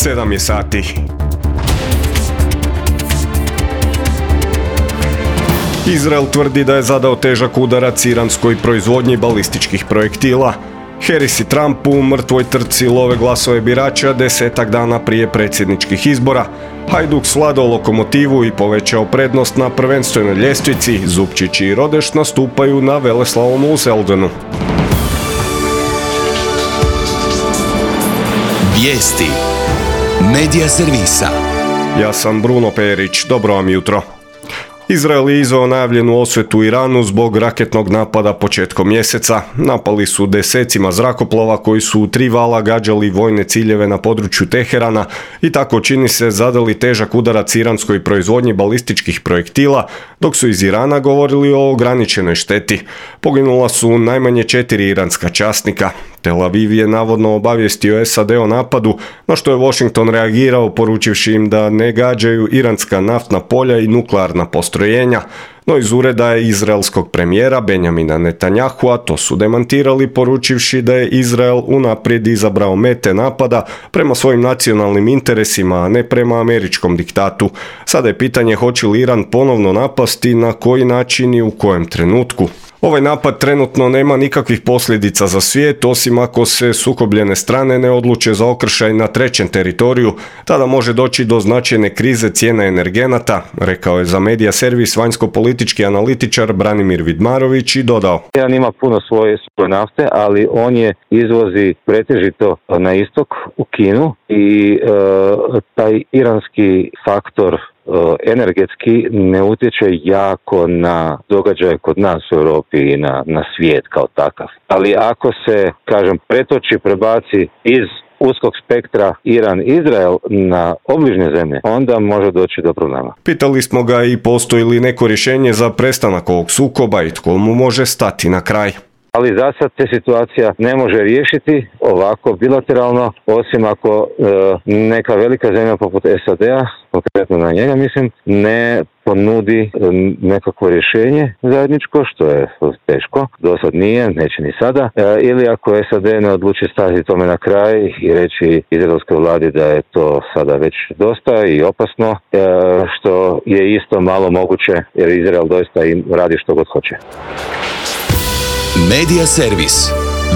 7 je sati. Izrael tvrdi da je zadao težak udarac iranskoj proizvodnji balističkih projektila. Harris i Trump u mrtvoj trci love glasove birača 10 dana prije predsjedničkih izbora. Hajduk svladao lokomotivu i povećao prednost na prvenstvenoj ljestvici. Zupčić i Rodeš nastupaju na veleslalomu u Zeldenu. Vijesti Medija servisa. Ja sam Bruno Perić, dobro vam jutro. Izrael je izveo najavljenu osvetu Iranu zbog raketnog napada početkom mjeseca. Napali su desecima zrakoplova koji su u 3 vala gađali vojne ciljeve na području Teherana i tako čini se zadali težak udarac iranskoj proizvodnji balističkih projektila, dok su iz Irana govorili o ograničenoj šteti. Poginula su najmanje 4 iranska časnika. Tel Aviv je navodno obavijestio SAD o napadu, na što je Washington reagirao poručivši im da ne gađaju iranska naftna polja i nuklearna postrojenja. No iz ureda izraelskog premijera Benjamina Netanyahua to su demantirali poručivši da je Izrael unaprijed izabrao mete napada prema svojim nacionalnim interesima, a ne prema američkom diktatu. Sada je pitanje hoće li Iran ponovno napasti, na koji način i u kojem trenutku. Ovaj napad trenutno nema nikakvih posljedica za svijet, osim ako se sukobljene strane ne odluče za okršaj na trećem teritoriju, tada može doći do značajne krize cijena energenata, rekao je za medija servis vanjsko-politički analitičar Branimir Vidmarović i dodao. Iran ima puno svoje nafte, ali on je izvozi pretežito na istok u Kinu i taj iranski faktor energetski ne utječe jako na događaje kod nas u Europi i na svijet kao takav. Ali ako se, pretoči, prebaci iz uskog spektra Iran-Izrael na obližnje zemlje, onda može doći do problema. Pitali smo ga i postoji li neko rješenje za prestanak ovog sukoba i tko mu može stati na kraj. Ali za sad se situacija ne može riješiti ovako bilateralno, osim ako neka velika zemlja poput SAD-a, konkretno na njega mislim, ne ponudi nekakvo rješenje zajedničko, što je teško, do sad nije, neće ni sada, ili ako SAD ne odluči stati tome na kraj i reći izraelskoj vladi da je to sada već dosta i opasno, što je isto malo moguće jer Izrael doista im radi što god hoće. Medija servis.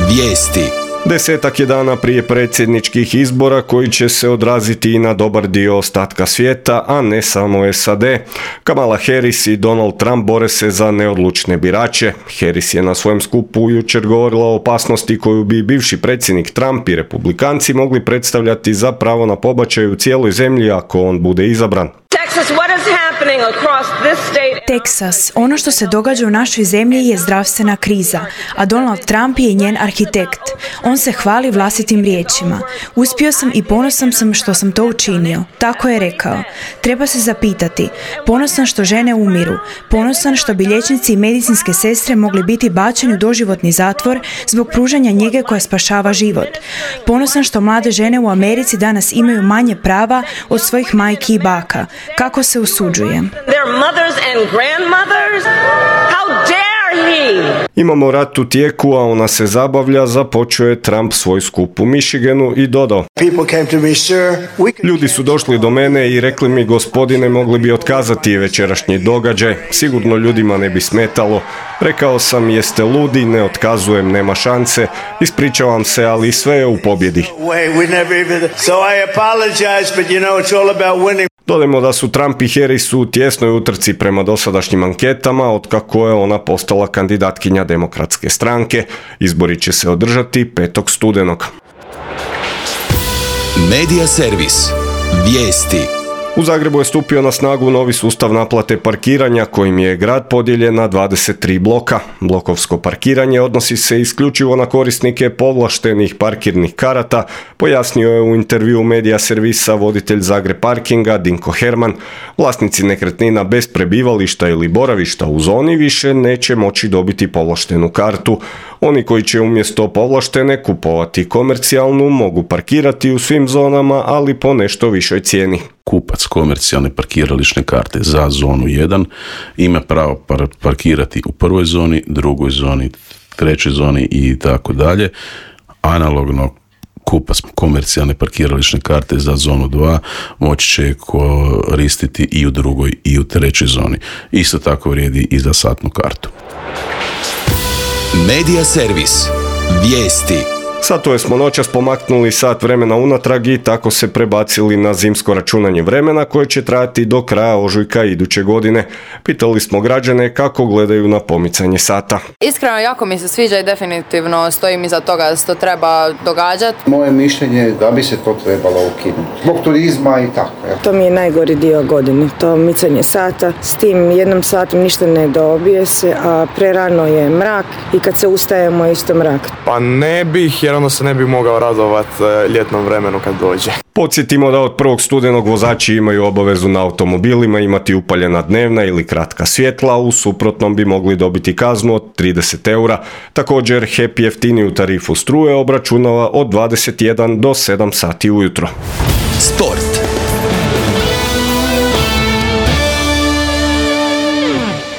Vijesti. 10 je dana prije predsjedničkih izbora koji će se odraziti i na dobar dio ostatka svijeta, a ne samo SAD. Kamala Harris i Donald Trump bore se za neodlučne birače. Harris je na svojem skupu jučer govorila o opasnosti koju bi bivši predsjednik Trump i republikanci mogli predstavljati za pravo na pobačaj u cijeloj zemlji ako on bude izabran. Teksas, ono što se događa u našoj zemlji je zdravstvena kriza, a Donald Trump je njen arhitekt. On se hvali vlastitim riječima. Uspio sam i ponosan sam što sam to učinio. Tako je rekao. Treba se zapitati. Ponosan što žene umiru. Ponosan što bi liječnici i medicinske sestre mogli biti bačeni u doživotni zatvor zbog pružanja njege koja spašava život. Ponosan što mlade žene u Americi danas imaju manje prava od svojih majki i baka. Kako se usuđujem. Imamo rat u tijeku, a ona se zabavlja, započeo je Trump svoj skup u Michiganu i dodao. Ljudi su došli do mene i rekli mi, gospodine, mogli bi otkazati večerašnji događaj, sigurno ljudima ne bi smetalo. Rekao sam, jeste ludi, ne otkazujem, nema šanse, ispričavam se, ali sve je u pobjedi. Dodajmo da su Trump i Harris u tjesnoj utrci prema dosadašnjim anketama, otkako je ona postala kandidatkinja Demokratske stranke. Izbori će se održati 5. studenog. Medija servis. Vijesti. U Zagrebu je stupio na snagu novi sustav naplate parkiranja kojim je grad podijeljen na 23 bloka. Blokovsko parkiranje odnosi se isključivo na korisnike povlaštenih parkirnih karata, pojasnio je u intervjuu medija servisa voditelj Zagreb Parkinga Dinko Herman. Vlasnici nekretnina bez prebivališta ili boravišta u zoni više neće moći dobiti povlaštenu kartu. Oni koji će umjesto povlaštene kupovati komercijalnu mogu parkirati u svim zonama, ali po nešto višoj cijeni. Kupac komercijalne parkirališne karte za zonu 1 ima pravo parkirati u prvoj zoni, drugoj zoni, trećoj zoni i tako dalje. Analogno kupac komercijalne parkirališne karte za zonu 2 moći će koristiti i u drugoj i u trećoj zoni. Isto tako vrijedi i za satnu kartu. Medija servis. Vijesti. Satove smo noćas pomaknuli sat vremena unatrag i tako se prebacili na zimsko računanje vremena koje će trajati do kraja ožujka iduće godine. Pitali smo građane kako gledaju na pomicanje sata. Iskreno, jako mi se sviđa i definitivno stojim iza toga da se to treba događati. Moje mišljenje je da bi se to trebalo ukinuti. Zbog turizma i tako. Ja. To mi je najgori dio godine, to micanje sata. S tim jednom satom ništa ne dobije se, a prerano je mrak i kad se ustajemo isto mrak. Pa ne bih, jer onda se ne bi mogao radovati ljetnom vremenu kad dođe. Podsjetimo da od 1. studenog vozači imaju obavezu na automobilima imati upaljena dnevna ili kratka svjetla, u suprotnom bi mogli dobiti kaznu od 30 eura. Također, HEP jeftiniju tarifu struje obračunava od 21 do 7 sati ujutro. Sport.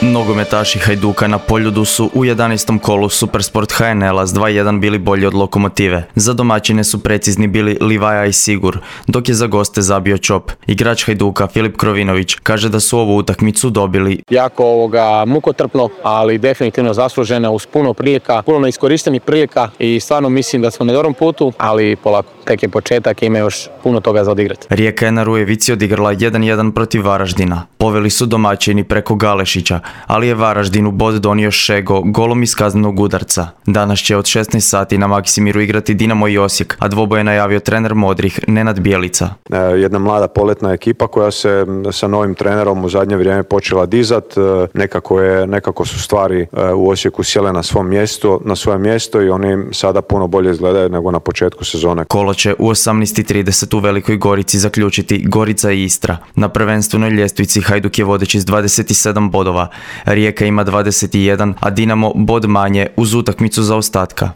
Nogometaši Hajduka na Poljudu su u 11. kolu Supersport HNL-a s 2:1 bili bolji od Lokomotive. Za domaćine su precizni bili Livaja i Sigur, dok je za goste zabio Čop. Igrač Hajduka Filip Krovinović kaže da su ovu utakmicu dobili jako mukotrpno, ali definitivno zaslužena uz puno prilika, puno neiskorištenih prilika i stvarno mislim da smo na dobrom putu, ali polako, tek je početak i ima još puno toga za odigrati. Rijeka je na Rujevici odigrala 1:1 protiv Varaždina. Poveli su domaćini preko Galešića, ali je Varaždinu bod donio Šego golom iz kaznenog udarca. Danas će od 16 sati na Maksimiru igrati Dinamo i Osijek, a dvoboj je najavio trener Modrih Nenad Bjelica. Jedna mlada poletna ekipa koja se sa novim trenerom u zadnje vrijeme počela dizat. Nekako su stvari u Osijeku sjele na svoje mjesto i oni sada puno bolje izgledaju nego na početku sezone. Kolo će u 18:30 u Velikoj Gorici zaključiti Gorica i Istra. Na prvenstvenoj ljestvici Hajduk je vodeći s 27 bodova. Rijeka ima 21, a Dinamo bod manje uz utakmicu zaostatka.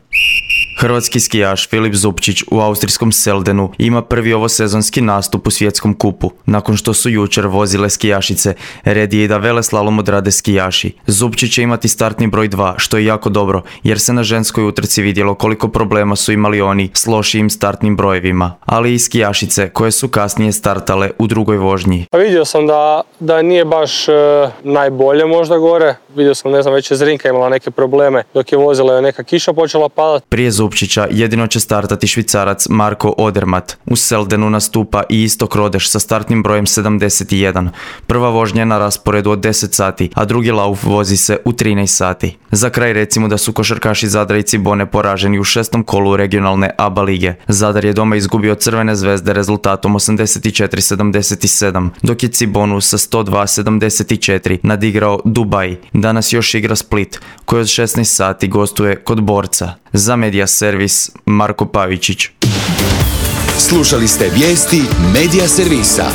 Hrvatski skijaš Filip Zupčić u austrijskom Seldenu ima prvi ovosezonski nastup u svjetskom kupu. Nakon što su jučer vozile skijašice, red je i da veleslalom odrade skijaši. Zupčić će imati startni broj 2, što je jako dobro, jer se na ženskoj utrci vidjelo koliko problema su imali oni s lošijim startnim brojevima, ali i skijašice koje su kasnije startale u drugoj vožnji. Vidio sam da nije baš najbolje možda gore. Vidio sam, već je Zrinka imala neke probleme dok je vozila, neka kiša počela padati. Prije Zupčića jedino će startati Švicarac Marko Odermatt. U Seldenu nastupa i Istok Rodeš sa startnim brojem 71. Prva vožnja je na rasporedu od 10 sati, a drugi lauf vozi se u 13 sati. Za kraj recimo da su košarkaši Zadra i Cibone poraženi u 6. kolu regionalne ABA lige. Zadar je doma izgubio od Crvene zvezde rezultatom 84-77, dok je Cibonu sa 102-74 nadigrao Dubaj. Danas još igra Split, koji od 16 sati gostuje kod Borca. Za Medija servis Marko Pavičić. Slušali ste vijesti Medija servisa.